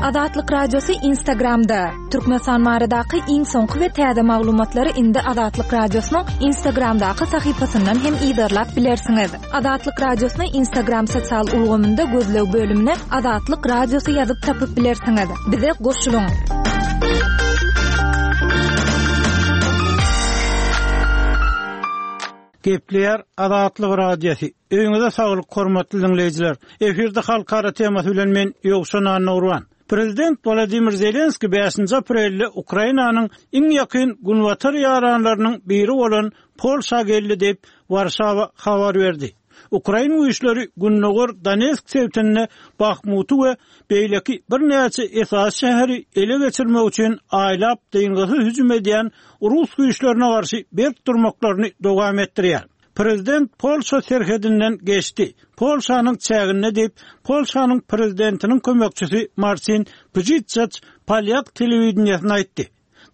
Azatlyk Radiosy Instagramda, Türkmenistan baradaky iň soňky we täze maglumatlary indi Azatlyk Radiosynyň Instagramdaky sahypasyndan hem yzarlap bilersiňiz. Azatlyk Radiosyny Instagram sosial ulgamynda gözleg bölümine Azatlyk Radiosy ýazyp tapyp bilersiňiz. Bize goşulyň! Gepleýär Azatlyk Radiosy. Öýüňize saglyk hormatly diňleýjiler. Efirde halkara temasy bilen men Ýowşan Annagurban. Prezident Wolodymyr Zelenskiý bäşinji aprelde Ukrainanyň iň ýakyn günbatar ýaranlarynyň biri bolan Polşa geldi diýip, Warşawa habar berdi. Ukrain güýçleri gündogar Donetsk sebitinde Bahmuty we beýleki birnäçe esasy şäheri ele geçirmek üçin aýlap dyngysyz hüjüm edýän rus güýçlerine garşy berk durmaklaryny dowam etdirýär. Prezident Polşa serhedinden geçdi, Polşanyň çäginde diýip, Polşanyň prezidentiniň kömekçisi Marsin Pjitçaç polýak telewideniýesine aýtdy.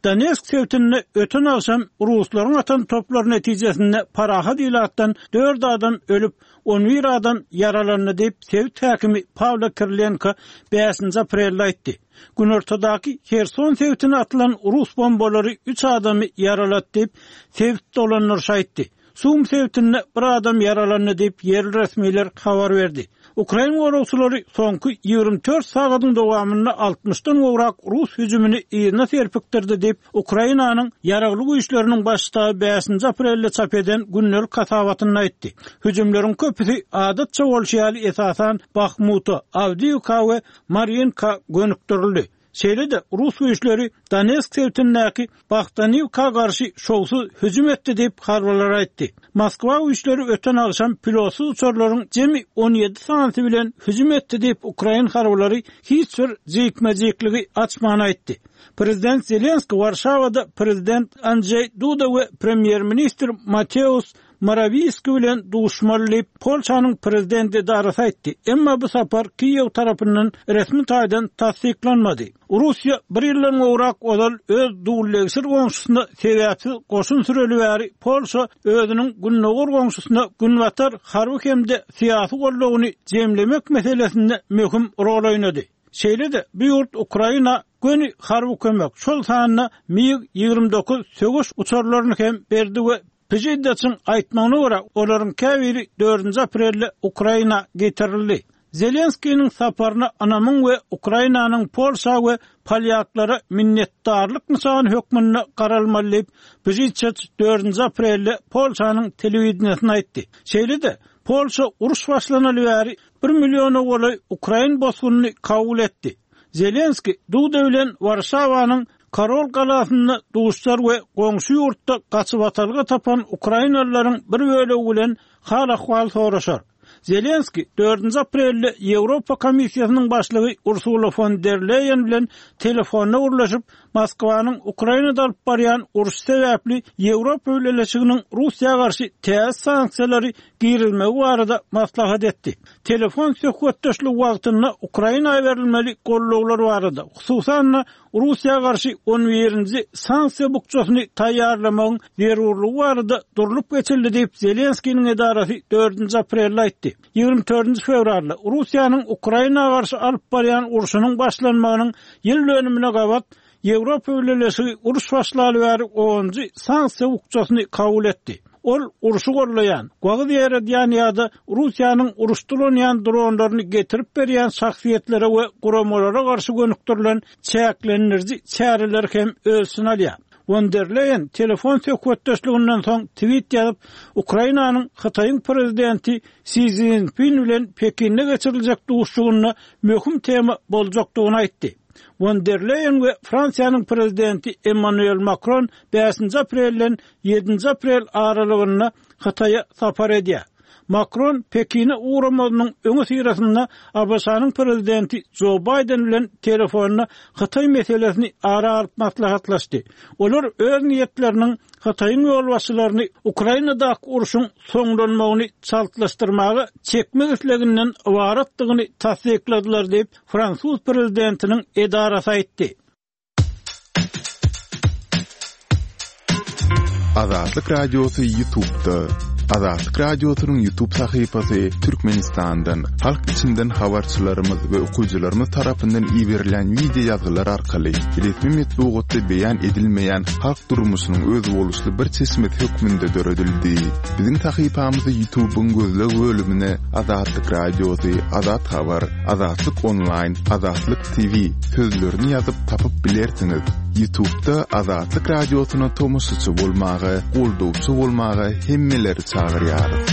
Donetsk sebitinde öten agşam ruslaryň atan toplary netijesinde parahat ilatdan dört adam ölüp, 11 adam ýaralandy diýip, sebit häkimi Pawlo Kirilenko bäşinji aprelde aýtdy. Günortadaky Herson sebitine atylan rus bombalary üç adamy ýaralady diýip, sebit dolandyryşy aýtdy. Sum sebitinde bir adam ýaralandy diýip, ýerli resmiler habar berdi. Ukrain goragçylary soňky 24 sagadyň dowamynda altmyşdan gowrak rus hüjümini yzyna serpikdirdi diýip, Ukrainanyň Ýaragly Güýçleriniň Baş ştaby bäşinji aprelde çap eden gündelik hasabatynda aýtdy. Hüjümleriň köpüsi, adatça bolşy ýaly, esasan Bahmuta, Awdiýewka we Marýinka gönükdirildi. Şeýle-de, rus güýçleri Donetsk sebitindäki Bohdaniwka garşy şowsuz hüjüm etdi diýip, harbylar aýtdy. Moskwa güýçleri öten agşam pilotsyz uçarlaryň jemi 17 sanysy bilen hüjüm etdi diýip, ukrain harbylary hiç bir jikme-jikligi açman aýtdy. Prezident Zelenskiý Warşawada prezident Andžeý Duda we premýer-ministr Mateusz Morawiýski bilen duşmaly diýip, Polşanyň prezident edarasy aýtdy. Emma bu sapar Kiýew tarapyndan resmi taýdan tassyklanmady. Russiýa bir ýyldan gowrak ozal öz duldegsir goňşusyna sebäpsiz goşun süreli bäri Polşa özüniň gündogar goňşusyna günbatar harby hem-de syýasy goldawyny jemlemek meselesinde möhüm rol oýnady. Şeýle-de, bu ýurt Ukraina göni harby kömek, şol sanda MiG-29 söweş uçarlaryny hem berdi we Pžiddaçyň aýtmagyna görä, olaryň käbiri dördünji aprelde Ukraina getirildi. Zelenskiniň saparyna ynamyň we Ukrainanyň Polşa we polýaklara minnetdarlyk nyşany hökmünde garalmaly diýip, Pžidçaç dördünji aprelde Polşanyň telewideniýesine aýtdy. Şeýle-de, Polşa uruş başlanaly bäri bir milliona golaý ukrain bosgunyny kabul etdi. Zelenskiý Duda bilen Warşawanyň Karol galasynda duşar we goňşy ýurtda gaçybatalga tapan ukrainalylaryň bir bölegi bilen hal-ahwal soraşar. Zelenskiý dördünji aprelde Ýewropa Komissiýasynyň başlygy Ursula fon der Leýen bilen telefonda gürleşip, Moskwanyň Ukrainada alyp barýan urşy sebäpli Ýewropa Bileleşiginiň Russiýa garşy täze sanksiýalary girizmegi barada maslahat etdi. Telefon söhbetdeşligi wagtynda Ukraina berilmeli gollawlar barada, hususan-da, Russiýa garşy on birinji sanksiýa bukjasyny taýýarlamagyň zerurlygy barada durlup geçildi diýip, Zelenskiniň edarasy dördünji aprelde aýtdy. 24-nji fewralda Russiýanyň Ukraina garşy alyp barýan urşunyň başlanmagynyň ýyl dönümine gabat Ýewropa Bileleşigi uruş başlaly bäri onunjy sanksiýa bukjasyny kabul etdi. Ol urşy gollaýan, wagyz ýaýradýan ýa-da Russiýanyň uruşda ulanýan dronlaryny getirip berýän şahsyýetlere we guramalara garşy gönükdirilen çäklendiriji çäreleri hem öz içine alýar. Won der Leýen telefon söhbetdeşliginden soň tweet ýazyp, Ukrainanyň Hytaýyň prezidenti Si Szinpin bilen Pekinde geçiriljek duşuşygynda möhüm tema boljakdygyny aýtdy. Won der Leýen we Fransiýanyň prezidenti Emmanuel Makron bäşinji aprelden ýedinji aprel aralygynda Hytaýa sapar edýär. Makron Pekine ugramazynyň öňüsyrasynda ABŞ-nyň prezidenti Jo Baýden bilen telefonda Hytaý meselesini ara alyp maslahatlaşdy. Olar öz niýetleriniň Hytaýyň ýolbaşçylaryny Ukrainadaky urşuň soňlanmagyny çaltlaşdyrmaga çekmek isleginden ybaratdygyny tassykladylar diýip, fransuz prezidentiniň edarasy aýtdy. Azatlyk Radiosy YouTube'da. Azatlyk Radiosynyň YouTube sahypasy Türkmenistandan, halk içinden habarçylarymyz we okyjylarymyz tarapyndan iberilýän wideo ýazgylar arkaly resmi metbugatda beýan edilmeýän halk durmuşynyň özboluşly bir çeşmesi hökmünde döredildi. Biziň sahypamyzy YouTube-yň gözleg bölümine Azatlyk Radiosy, Azat Habar, Azatlyk Onlaýn, Azatlyk TV sözlerini ýazyp tapyp bilersiňiz. Ýutubda Azatlyk Radiosyna tomaşaçy bolmaga, goldawçy bolmaga hemmeleri çagyrýarys.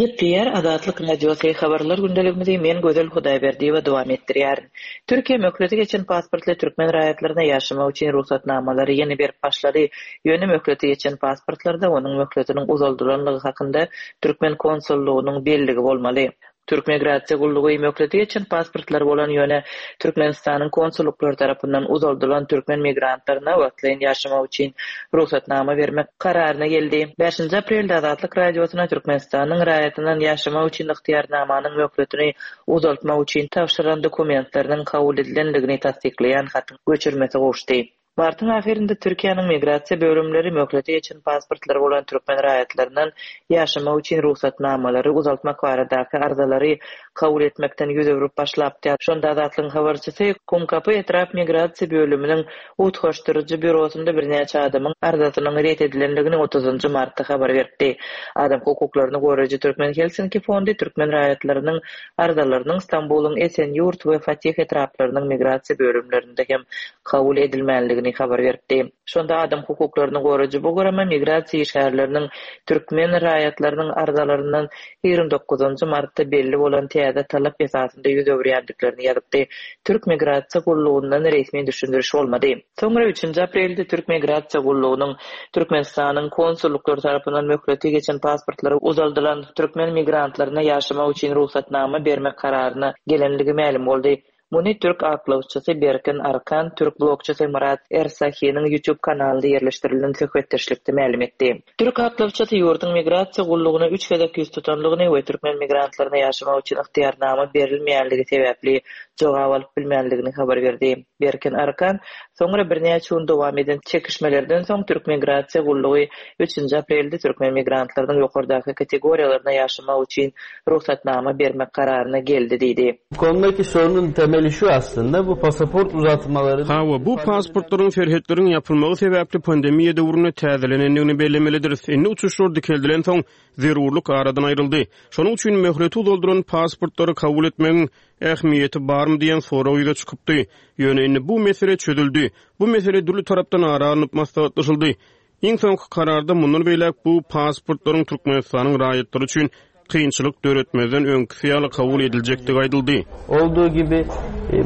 Gepleýär Azatlyk Radiosy, Habarlar gündeligimizi men Gözel Hudaýberdiýewa dowam etdirýärin. Türkiýe möhleti geçen pasportly türkmen raýatlaryna ýaşamak üçin rugsatnamalary ýene berip başlady. Ýöne möhleti geçen pasportlarda onuň möhletiniň uzaldylanlygy hakynda türkmen konsullygynyň belligi bolmaly. Türk migrasiýa gullugy möhleti geçen pasportlary bolan, ýöne Türkmenistanyň konsullyklary tarapyndan uzaldylan türkmen migrantlaryna wagtlaýyn ýaşamak üçin rugsatnama bermek kararyna geldi. Bäşinji aprelde Azatlyk Radiosyna Türkmenistanyň raýatyndan ýaşamak üçin ygtyýarnamanyň möhletini uzaltmak üçin tabşyran dokumentleriniň kabul edilendigini tassyklaýan hatyň göçürmesi gowuşdy. Martyň ahyrynda Türkiýäniň migrasiýa bölümleri möhleti geçen pasportlary bolan türkmen raýatlaryndan ýaşamak üçin rugsatnamalary uzaltmak baradaky arzalary kabul etmekden ýüz öwrüp başlapdy. Şonda Azatlygyň habarçysy Kumkapy etrap migrasiýa bölüminiň utgaşdyryjy býurosynda birnäçe adamyň arzasynyň ret edilendigini otuzynjy martda habar beripdi. Adam hukuklaryny goraýjy Türkmen Helsinki fondy türkmen raýatlarynyň arzalarynyň Stambulyň Esenýurt we Fatih etraplarynyň migrasiýa bölümlerinde hem kabul edilmänligini habar beripdi. Şonda adam hukuklaryny goraýjy bu gurama migrasiýa işgärleriniň türkmen raýatlarynyň arzalaryndan 29 martda belli bolan täze talap esasynda ýüz öwürýändiklerini ýazypdy. Türk migrasiýa gullugyndan resmi düşündiriş bolmady. Soňra üçünji aprelde Türk migrasiýa gullugynyň Türkmenistanyň konsullyklary tarapyndan möhleti geçen pasportlary uzaldylan türkmen migrantlaryna ýaşamak üçin rugsatnama bermek kararyna gelenligi mälim boldy. Muny türk aklawçysy Berkin Arkan türk blogçysy Myrat Ersahiniň YouTube kanalynda ýerleşdirilen söhbetdeşlikde mälim etdi. Türk aklawçysy ýurduň migrasiýa gullugyna üç gezek ýüz tutanlygyny we türkmen migrantlaryna ýaşamak üçin ygtyýarnama berilmeýänligi sebäpli jogap alyp bilmänligini habar berdi. Berkin Arkan soňra birnäçe gün dowam eden çekişmelerden soň türk migrasiýa gullugy üçünji aprelde türkmen migrantlarynyň ýokardaky kategoriýalaryna ýaşamak üçin rugsatnama bermek kararyna geldi diýdi. Bu konudaki sorunun temeli şu aslynda, bu pasaport uzatmalary. Hawa, bu pasportlaryň serhetleriň ýapylmagy sebäpli pandemiýa döwründe täzelenendigini bellemelidiris. Indi uçuşlar dikeldilensoň, zerurlyk aradan aýryldy. Şonuň üçin möhleti uzaldylan pasportlary kabul etmegiň ähmiýeti barmy diýen sorag ýüze çykypdy. Ýöne indi bu mesele çözüldi. Bu mesele dürli tarapdan ara alnyp maslahatlaşyldy. Iň soňky kararda mundan beýläk bu pasportlaryň Türkmenistanyň raýatlary üçin kynçylyk döretmezden öňküsi ýaly kabul ediljekdigi aýdyldy. Olduğu gibi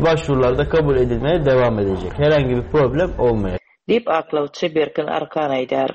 başvurular da kabul edilmeye devam edecek. Herhangi bir problem olmayacak. Diýip, aklawçy Berkin Arkan aýdýar.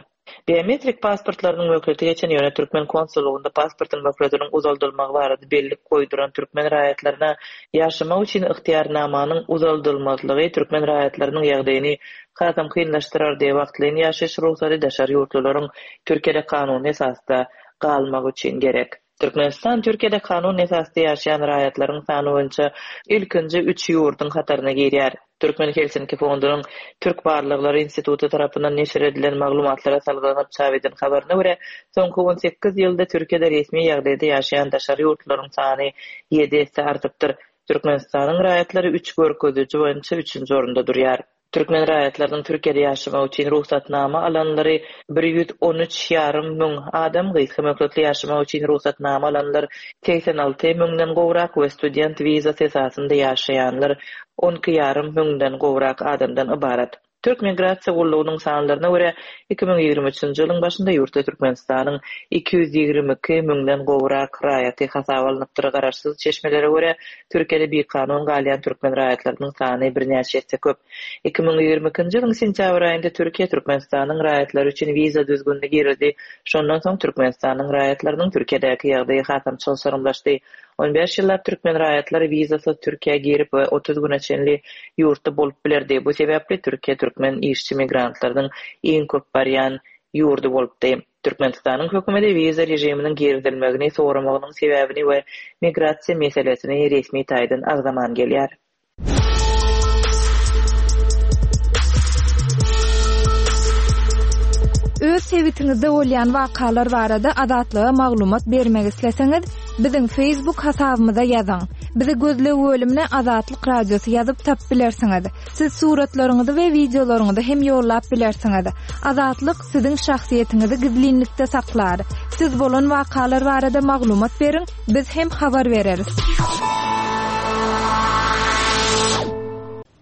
Biometrik pasportlarynyň möhleti geçen, ýöne türkmen konsullygynda pasportyň möhletiniň uzaldylmagy barada bellik goýduran türkmen raýatlaryna ýaşamak üçin ygtyýarnamanyň uzaldylmazlygy türkmen raýatlarynyň ýagdaýyny hasam kynlaşdyrardy. Wagtlaýyn ýaşaýyş rugsady daşary ýurtlularyň Türkiýede kanuny esasda galmagy üçin gerek. Türkmenistan Türkiýede kanun esasda ýaşaýan raýatlaryň sany boýunça ilkinji üç ýurduň hataryna girýär. Türkmen Helsinki fondunyň Türk barlaglary instituty tarapyndan neşir edilen maglumatlara salgylanyp çap eden habaryna görä, soňky 18 ýylda Türkiýede resmi ýagdaýda ýaşaýan daşary ýurtlularyň sany ýedi esse artypdyr. Türkmenistanyň raýatlary üç görkeziji boýunça üçünji orunda durýar. Türkmen raýatlarynyň Türkiýede ýaşamak üçin rugsatnama alanlary 113 ýarym müň adam, gysga möhletli ýaşamak üçin rugsatnama alanlar 86 müňden gowrak we student wizasy esasynda ýaşaýanlar 12 ýarym müňden gowrak adamdan ybarat. Türk migrasiýa gullugynyň sanlaryna görä, 2023-nji ýylyň başynda ýurtda Türkmenistanyň 222 müňden gowrak raýaty hasaba alnypdyr. Garaşsyz çeşmelere görä, Türkiýede bikanun galýan türkmen raýatlarynyň sany birnäçe esse köp. 2022-nji ýylyň sentýabr aýynda Türkiýe Türkmenistanyň raýatlary üçin wiza düzgünini girizdi. Şondan soň Türkmenistanyň raýatlarynyň Türkiýedäki ýagdaýy hasam çylşyrymlaşdy. On bäş ýyllap türkmen raýatlary wizasyz Türkiýä girip we 30 güne çenli ýurtda bolup bilerdi. Bu sebäpli Türkiýe türkmen işçi migrantlarynyň iň köp barýan ýurdy bolupdy. Türkmenistanyň hökümeti wiza režiminiň girizilmegini soramagynyň sebäbini we migrasiýa meselesini resmi taýdan agzaman gelýär. Öz sebitiňizde bolýan wakalar barada Azatlyga maglumat bermek isleseňiz, biziň Facebook hasabymyza ýazyň. Bizi gözleg bölümine Azatlyk Radiosy ýazyp tapyp bilersiňiz. Siz suratlaryňyzy we wideolaryňyzy hem ýollap bilersiňiz. Azatlyk siziň şahsyýetiňizi gizlinlikde saklar. Siz bolan wakalar barada maglumat beriň, biz hem habar bereris.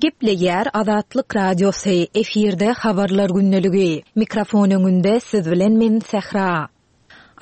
Gepleýär Azatlyk Radiosy, efirde Habarlar gündeligi. Mikrofon öňünde siz bilen men Sähra.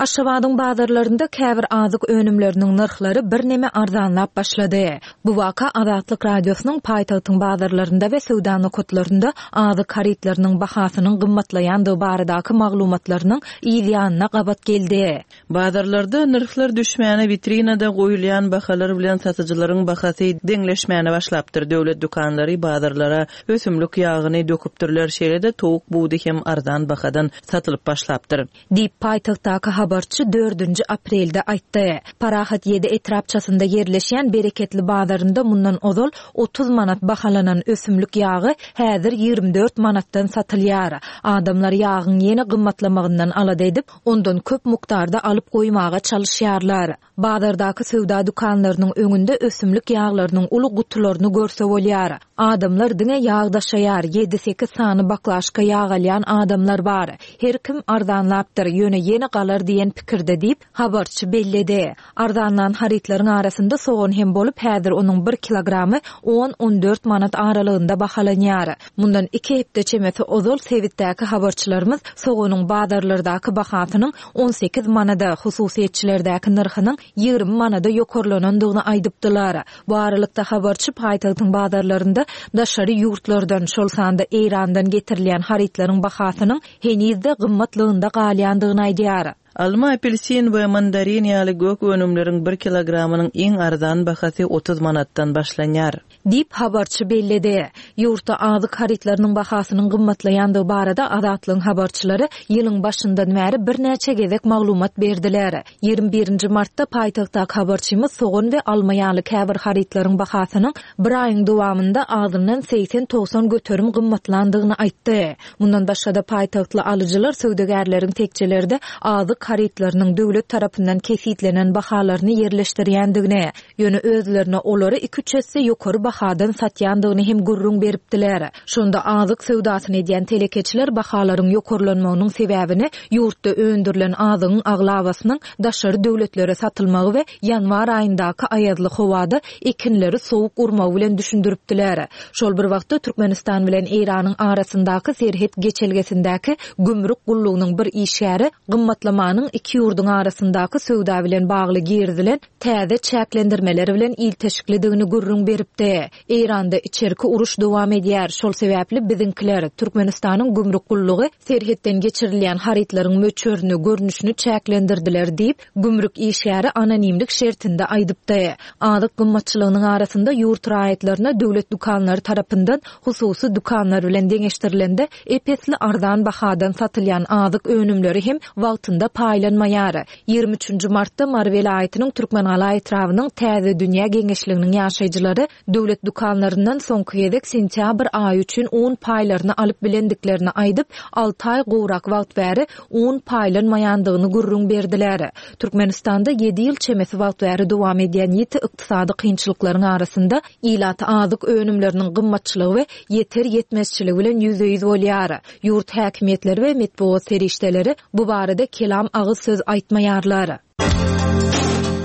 Aşgabadyň bazarlarynda käbir azyk önümleriniň nyrhlary birneme arzanlap başlady. Bu waka Azatlyk Radiosynyň paýtagtyň bazarlarynda we söwda nokatlarynda azyk harytlarynyň bahasynyň gymmatlaýandygy baradaky maglumatlarynyň yz ýanyna gabat geldi. Bazarlarda nyrhlar düşmäne witrinada goýulýan bahalar bilen satyjylaryň bahasy deňleşmäne başlapdyr. Döwlet dükanlary bazarlara ösümlik ýagyny döküpdirler, şeýle-de towuk budy hem arzan bahadan satylyp başlapdyr. Diýip, paýtagtdaky habarçy dördünji aprelde aýtdy. Parahat ýedi etrapçasynda ýerleşýän Bereketli bazarynda mundan ozal 30 manat bahalanan ösümlik ýagy häzir 24 manatdan satylýar. Adamlar ýagyň ýene gymmatlamagyndan alada edip, ondan köp mukdarda alyp goýmaga çalyşýarlar. Bazardaky söwda dükanlarynyň öňünde ösümlik ýaglarynyň uly gutularyny görse bolýar. Adamlar diňe ýag daşaýar, ýedi-sekiz sany baklaşka ýag alýan adamlar bar. Her kim arzanlapdyr, ýöne ýene galar diýen pikirde diýip, habarçy belledi. Arzanlan harytlaryň arasynda sogan hem bolup, häzir onuň bir kilogramy on-on dört manat aralygynda bahalanýar. Mundan iki hepde çemesi ozal sebitdäki habarçylarymyz soganyň bazarlardaky bahasynyň 18 manada, hususyýetçilerdäki nyrhynyň 20 manada ýokarlanandygyny aýdypdylar. Bu aralykda, habarçy paýtagtyň bazarlarynda daşary ýurtlardan, şol sanda Eýrandan getirilýän harytlaryň bahasynyň heniz-de gymmatlygynda galýandygyny aýdýar. Alma, apelsin we mandarin ýaly gök önümleriň bir kilogramynyň iň arzan bahasy 30 manatdan başlanýar. Diýip, habarçy belledi. Ýurtda azyk harytlarynyň bahasynyň gymmatlaýandygy barada Azatlygyň habarçylary ýylyň başyndan bäri birnäçe gezek maglumat berdiler. 21 nji martda paýtagtdaky habarçymyz sogan we alma ýaly käbir harytlaryň bahasynyň bir aýyň dowamynda azyndan 80-90 göterim gymmatlandygyny aýtdy. Mundan başga-da, paýtagtly alyjylar söwdagärleriň tekjelerde azyk harytlarynyň döwlet tarapyndan kesgitlenen bahalaryny ýerleşdirýändigini, ýöne özlerine olary iki-üç esse ýokary bahadan satýandygyny hem gürrüň beripdiler. Şonda azyk söwdasyny edýän telekeçiler bahalaryň ýokarlanmagynyň sebäbini ýurtda öndürilen azygyň aglabasynyň daşary döwletlere satylmagy we ýanwar aýyndaky aýazly howada ekinleri sowuk urmagy bilen düşündiripdiler. Şol bir wagtda, Türkmenistan bilen Eýranyň arasyndaky serhet geçelgesindäki gümrük gullugynyň bir işgäri gymmatlamanyň iki ýurduň arasyndaky söwda bilen bagly girizilen täze çäklendirmeler bilen ilteşiklidigini gürrüň beripdi. Eýranda içerki uruş dowam edýär, şol sebäpli biziňkiler, Türkmenistanyň gümrük gullugy serhetden geçirilýän harytlaryň möçberini, görnüşini çäklendirdiler diýip, gümrük işgäri anonimlik şertinde aýdypdy. Azyk gymmatçylygynyň arasynda ýurt raýatlaryna döwlet dükanlary tarapyndan hususy dükanlar bilen deňeşdirilende ep-esli arzan bahadan satylýan azyk önümleri hem wagtynda paýlanmaýar. 23 nji martda Mary welaýatynyň Türkmengala etrabynyň Täze dünýä geňeşliginiň ýaşaýjylary döwlet dükanlaryndan soňky gezek sentýabr aýy üçin un paýlaryny alyp bilendiklerini aýdyp, alty aý gowrak wagt bäri un paýlanmaýandygyny gürrüň berdiler. Türkmenistanda ýedi ýyl çemesi wagt bäri dowam edýän ýiti ykdysady kynçylyklaryň arasynda ilat azyk önümleriniň gymmatçylygy we ýeter-ýetmezçiligi bilen ýüzbe-ýüz bolýar. Ýurt häkimiýetleri we metbugat serişdeleri bu barada kelam agyz söz aýtmaýarlar.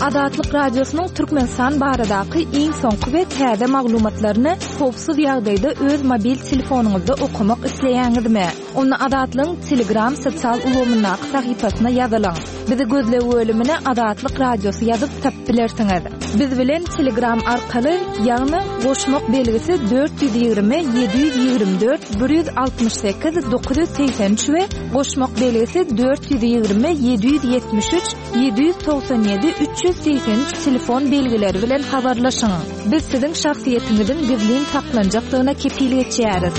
Azatlyk Radiosynyň Türkmenistan baradaky iň soňky we täze maglumatlaryny howpsuz ýagdaýda öz mobil telefonyňyzda okamak isleýäňizmi? Onda Azatlygyň Telegram sosial ulgamyndaky sahypasyna ýazylyň. Bizi gözleg bölümine Azatlyk Radiosy ýazyp tapyp bilersiňiz. Biz bilen Telegram arkaly, ýagny goşmak belgisi 420 724 168 983 we goşmak belgisi 420 773 797 383 telefon belgileri bilen habarlaşyň. Biz siziň şahsyýetiňiziň gizlin saklanjakdygyna kepil geçýäris.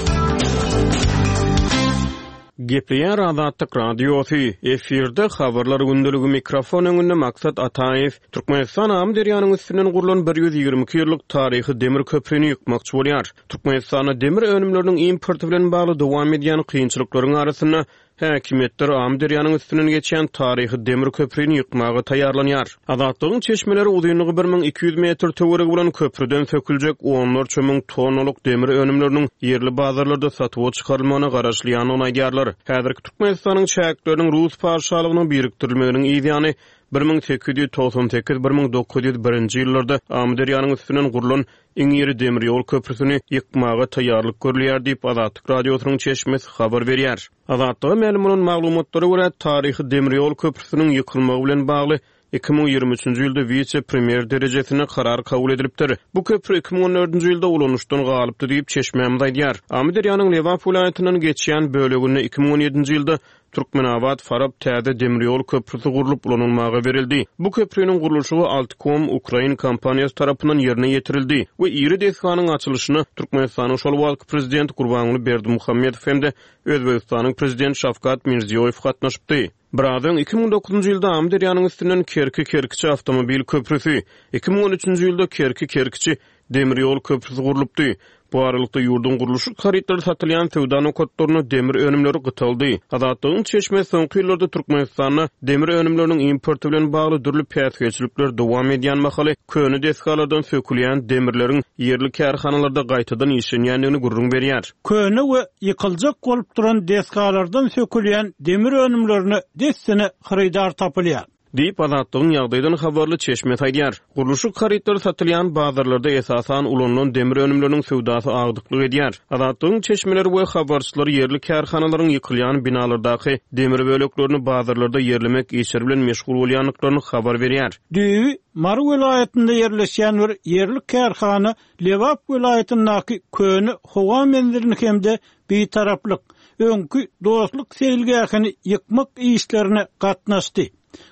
Gepleýär Azatlyk Radiosy, efirde Habarlar gündeligi mikrofon öňünde Maksat Ataýew. Türkmenistan Amyderýanyň üstünden gurlan 122 ýyllyk taryhy demir köprini ýykmakçy bolýar. Türkmenistanda demir önümleriniň importy bilen bagly dowam edýän kynçylyklaryň arasynda. Häkimiýetler Amyderýanyň üstünden geçýän taryhy demir köprini ýykmaga taýýarlanýar. Azatlygyň çeşmeleri uzynlygy 1200 metr töweregi bolan köprüden söküljek onlarça müň tonnalyk demir önümleriniň ýerli bazarlarda satuwa çykarylmagyna garaşylýandygyny aýdýarlar. Häzirki Türkmenistanyň çäkleriniň Rus patyşalygyna birikdirilmeginiň yzýany 1898, 1901-nji ýyllarda Amyderýanyň üstünden gurlan Iň iri demir ýol köprüsini ýykmaga taýýarlyk görülýär diýip, Azatlyk Radiosynyň çeşmesi habar berýär. Azatlyga mälim bolan maglumatlara görä, taryhy demir ýol köprüsiniň ýykylmagy bilen bagly 2023-nji ýylda wise-premýer derejesinde karar kabul edilipdir. Bu köpri 2014-nji ýylda ulanyşdan galypdy diýip, çeşmämiz aýdýar. Amyderýanyň Lebap welaýatyndan geçýän böleginde 2017-nji ýylda Türkmenabat-Farap täze demir ýol köprüsi gurlup ulanylmaga berildi. Bu köprüniň gurluşygy Altkom ukrain kompaniýasy tarapyndan ýerine ýetirildi we iri desganyň açylyşyna Türkmenistanyň şol wagtky Prezidenti Gurbanguly Berdimuhamedow hem-de Özbegistanyň Prezidenti Şawkat Mirziýoýew gatnaşypdy. Biraz öň, 2009-njy ýylda Amyderýanyň üstünden Kerki-Kerkiçi awtomobil köprüsi, 2013-nji ýylda Kerki-Kerkiçi Demir ýol köprüsi gurlupdy. Bu aralykda, ýurduň gurluşyk harytlary satylýan söwda nokatlarynda demir önümleri gytaldy. Azatlygyň çeşmesi soňky ýyllarda Türkmenistanda demir önümleriniň importy bilen bagly dürli päsgelçilikler dowam edýän mahaly, köne desgalardan sökülýän demirleriň ýerli kärhanalarda gaýtadan işlenýändigini gürrüň berýär. Köne we ýykyljak bolup duran desgalardan sökülýän demir önümlerine dessine hyrydar tapylýar. Diýip, Azatlygyň ýagdaýdan habarly çeşmesi aýdýar. Gurluşyk harytlary satylýan bazarlarda esasan ulanylan demir önümleriniň söwdasy agdyklyk edýär. Azatlygyň çeşmeleri we habarçylary ýerli kärhanalaryň ýykylýan binalardaky demir böleklerini bazarlarda ýerlemek işleri bilen meşgul bolýandyklaryny habar berýär. Düýbi Mary welaýatynda ýerleşýän bir ýerli kärhana Lebap welaýatyndaky köne howa menzilini hem-de Bitaraplyk, öňki Dostluk seýilgähini ýykmak işlerine gatnaşdy.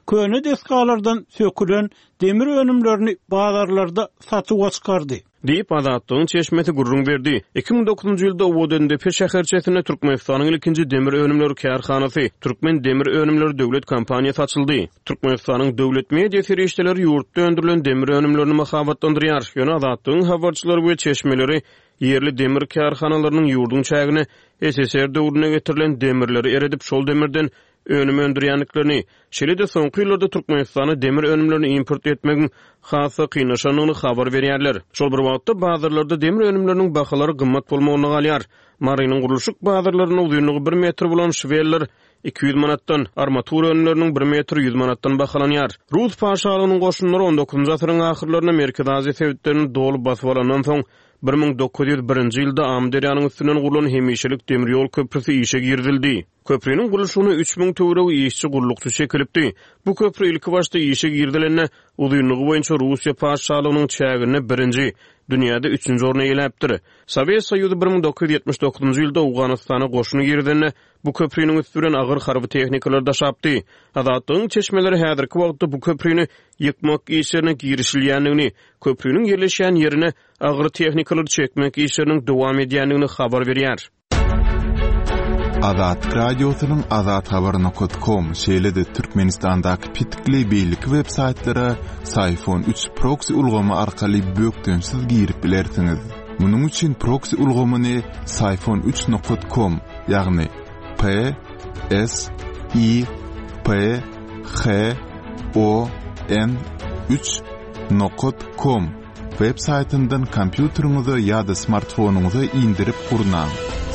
Köne desgalardan sökülen demir önümlerini bazarlarda satuwa çykardy. Diýip, Azatlygyň çeşmesi gürrüň berdi. 2009-njy ýylda Owadandepe şäherçesinde Türkmenistanyň ilkinji demir önümleri kärhanasy, Türkmen demir önümleri döwlet kompaniýasy açyldy. Türkmenistanyň döwlet media serişdeleri ýurtda öndürilen demir önümlerini mahabatlandyrýar. Ýöne Azatlygyň habarçylary we çeşmeleri Ýerli demir kärhanalarynyň ýurduň çägine SSR döwründe getirilen demirleri eredip, şol demirden önüm öndürýändiklerini, şeýle-de soňky ýyllarda Türkmenistana demir önümlerini import etmegiň has-da kynlaşandygyny habar berýärler. Şol bir wagtda, bazarlarda demir önümleriniň bahalary gymmat bolmagynda galýar. Marynyň gurluşyk bazarlarynda uzynlygy bir metr bolan şweller 200 manatdan, armatura önümleriniň bir metri 100 manatdan bahalanýar. Rus paşalygynyň goşunlary on dokuzynjy asyryň ahyrlarynda Merkezi Aziýa sebitlerini doly basyp alandan soň, 1901-nji ýylda Amyderýanyň üstünden gurlan hemişelik demir ýol köprüsi işe girizildi. Köpriniň gurluşygyna 3000 töweregi işçi-gullukçy çekilipdi. Bu köpri ilkibaşda işe girizilende, uzynlygy boýunça Russiýa patyşalygynyň çäginde birinji, dünýäde üçünji orny eýeläpdir. Sowet Soýuzy 1979-njy ýylda Owganystana goşun girizende, Bu köpriniň üsti bilen agyr harby tehnikalar daşapdy. Azatlygyň çeşmeleri häzirki wagtda bu köprini ýykmak işlerine girişilýändigini, köpriniň ýerleşýän ýerine agyr tehnikalary çekmek işleriniň dowam edýändigini habar berýär. Azatlyk Radiosynyň Azathabar nokat kom, şeýle-de Türkmenistandaky petikli beýleki web saýtlara Syfon üç proksi ulgamy arkaly bökdençsiz girip bilersiňiz. Munuň üçin proksi ulgamyny Syfon üç nokat kom, ýagny P S I P H O N 3 nokat com web saýtyndan kompýuteriňize ýa-da smartfonyňyza indirip gurnaň.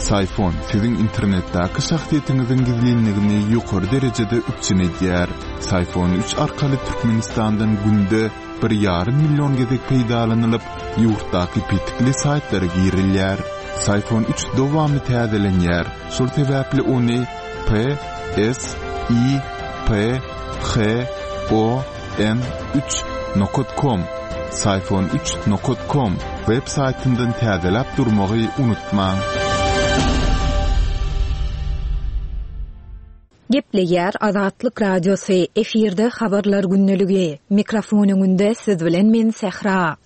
Syfon siziň internetdäki şahsyýetiňiziň gizlinligini ýokary derejede üpjün edýär. Syfon 3 arkaly Türkmenistandan günde bir ýarym million gezek peýdalanylyp, ýurtdaky petikli saýtlara girilýär. Syfon üç dowamly täzelenýär, şol sebäpli ony P, S, I, P, H, O, N, üç nokat kom, Syfon üç nokat kom, web saýtyndan täzeläp durmagy unutmaň. Gepleýär Azatlyk Radiosy, efirde Habarlar gündeligi. Mikrofon öňünde siz bilen men Sähra.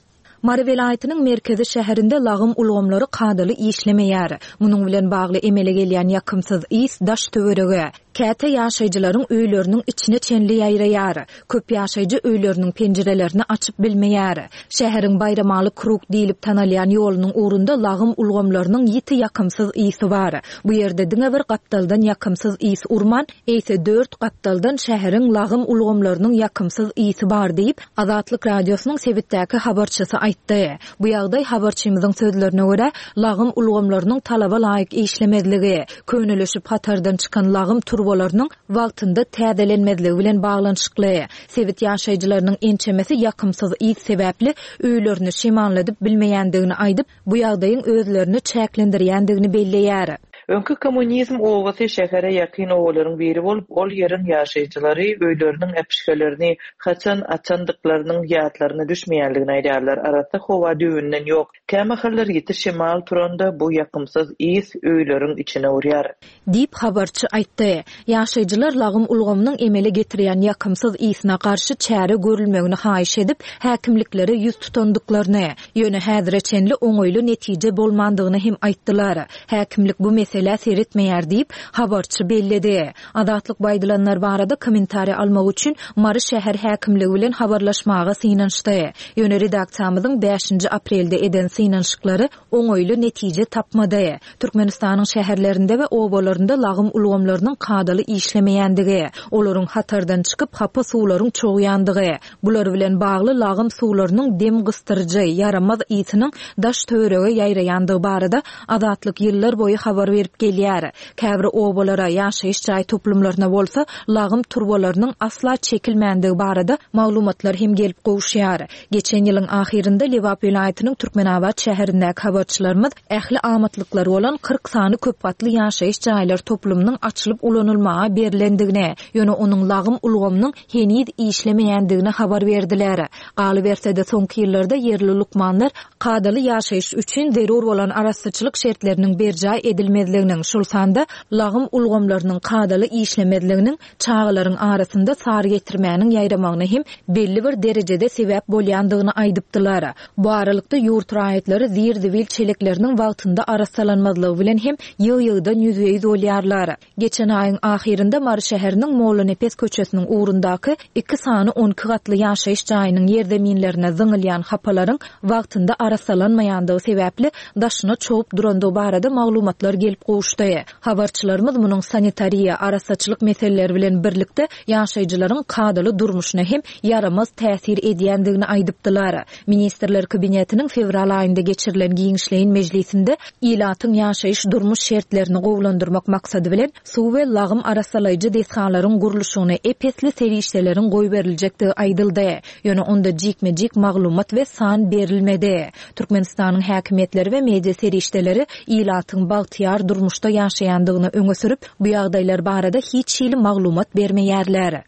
Mary welaýatynyň merkezi şäherinde lagym ulgamlary kadaly işlemeýär. Munuň bilen bagly emele gelýän ýakymsyz ys daş-töwerege, Käte ýaşaýjylaryň öýleriniň içine çenli ýaýraýar. Köp ýaşaýjy öýleriniň penjirelerini açyp bilmeýär. Şäheriň Baýramaly krug diýlip tanalýan ýolunyň ugrunda lagym ulgamlarynyň ýiti ýakymsyz ysy bar. Bu ýerde diňe bir gapdaldan ýakymsyz ys urman, eýse dört gapdaldan şäheriň lagym ulgamlarynyň ýakymsyz ysy bar diýip, Azatlyk Radiosynyň sebitdäki habarçysy aýtdy. Bu ýagdaý, habarçymyzyň sözlerine görä, lagym ulgamlarynyň talaba laýyk işlemezligi, könelişip hatardan çykan lagym turbalarynyň wagtynda täzelenmezligi bilen baglanyşykly. Sebit ýaşaýjylarynyň ençemesi ýakymsyz ys sebäpli öýlerini şemalladyp bilmeýändigini aýdyp, bu ýagdaýyň özlerini çäklendirýändigini belleýär. Öňki Kommunizm obasy şähere ýakyn obalaryň biri bolup, ol ýeriň ýaşaýjylary öýleriniň äpişgelerini haçan açandyklarynyň ýatlaryna düşmeýändigini aýdýarlar. Arassa howa düýbünden ýok. Kämahallar ýiti şemal turanda bu ýakymsyz ys öýleriň içine urýar. Diýip, habarçy aýtdy. Ýaşaýjylar lagym ulgamynyň emele getirýän ýakymsyz ysyna garşy çäre görülmegini haýyş edip, häkimliklere ýüz tutandyklaryny, ýöne häzire çenli oňaýly netije bolmandygyny hem aýtdylar. Häkimlik bu meselä seretmeýär diýip, habarçy belledi. Azatlyk bu aýdylanlar barada kommentariý almak üçin Mary şäher häkimligi bilen habarlaşmaga synanyşdy. Ýöne redaksiýamyzyň bäşinji aprelde eden synanyşyklary oňaýly netije tapmady. Türkmenistanyň şäherlerinde we obalarynda lagym ulgamlarynyň kadaly işlemeýändigi, olaryň hatardan çykyp hapa suwlaryň çogýandygy, Bular bilen bagly lagym suwlarynyň dem gysdyryjy, ýaramaz ysynyň daş-töwerege ýaýraýandygy barada Azatlyk ýyllar boýy habar berip gelýär. Käbir obalara, ýaşaýyş jaý toplumlaryna bolsa lagym turbalarynyň asla çekilmändigi barada maglumatlar hem gelip gowuşýar. Geçen ýylyň ahyrynda Lebap welaýatynyň Türkmenabat şäherindäki habarçylarymyz ähli amatlyklary bolan 40 sany köpgatly ýaşaýyş jaýlar toplumynyň açylyp ulanylmaga berlendigini, ýöne onuň lagym ulgamynyň heniz işlemeýändigini habar berdiler. Galyberse-de, soňky ýyllarda ýerli lukmanlar kadaly ýaşaýyş üçin zerur bolan arassaçylyk şertleriniň berjaý edilmezliginiň, şol sanda lagym ulgamlarynyň kadaly işlemezliginiň çagalaryň arasynda sarygetirmäniň ýaýramagyna hem belli bir derejede sebäp bolýandygyny aýdypdylar. Bu aralykda, ýurt raýatlary zir-zibil çelekleriniň wagtynda arassalanmazlygy bilen hem ýygy-ýygydan ýüzbe-ýüz bolýarlar. Geçen aýyň ahyrynda Mary şäheriniň Mollanepes köçesiniň ugrundaky iki sany on iki gatly ýaşaýyş jaýynyň ýerzeminlerine zyňylýan hapalaryň wagtynda arassalanmaýandygy sebäpli daşyna çogup durandygy barada maglumatlar gelip gowuşdy. Habarçylarymyz munuň sanitariýa, arassaçylyk meseleleri bilen birlikde ýaşaýjylaryň kadaly durmuşyna hem ýaramaz täsir edýändigini aýdypdylar. Ministrler Kabinetiniň fewral aýynda geçirilen giňişleýin mejlisinde ilatyň ýaşaýyş-durmuş şertlerini gowulandyrmak maksady bilen, suw we lagym arassalaýjy desgalaryň gurluşygyna ep-esli serişdeleriň goýberiljekdigi aýdyldy. Ýöne onda jikme-jik maglumat we san berilmedi. Türkmenistanyň häkimiýetleri we media serişdeleri ilatyň bagtyýar durmuşda ýaşaýandygyny öňe sürüp, bu ýagdaýlar barada hiç hili maglumat bermeýärler.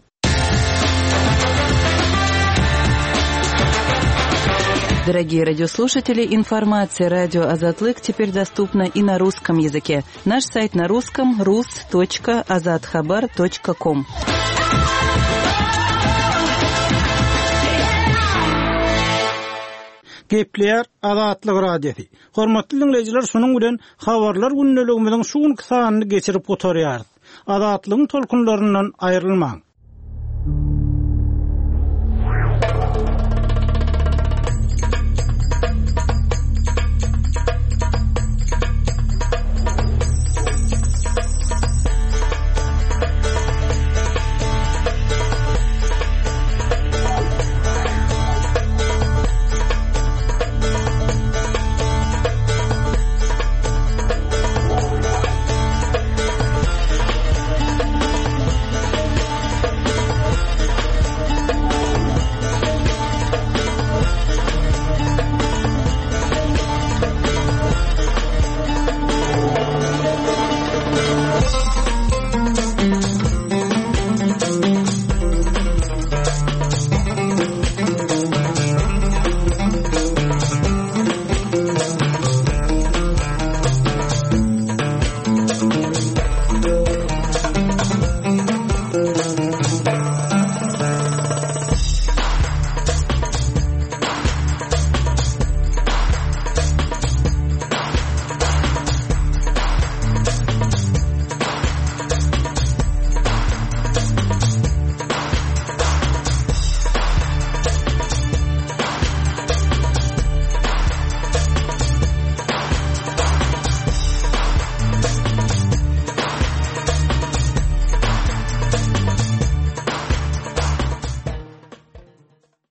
Дорогие радиослушатели, информация радио Азатлык теперь доступна и на русском языке. Наш сайт на русском rus.azathabar.com. Gepleýär Azatlyk Radiosy. Hormatly diňleýjiler, şunuň bilen habarlar gündeligimiziň şu günki sanyny geçirip gutarýarys. Azatlygyň tolkunlaryndan aýrylmaň.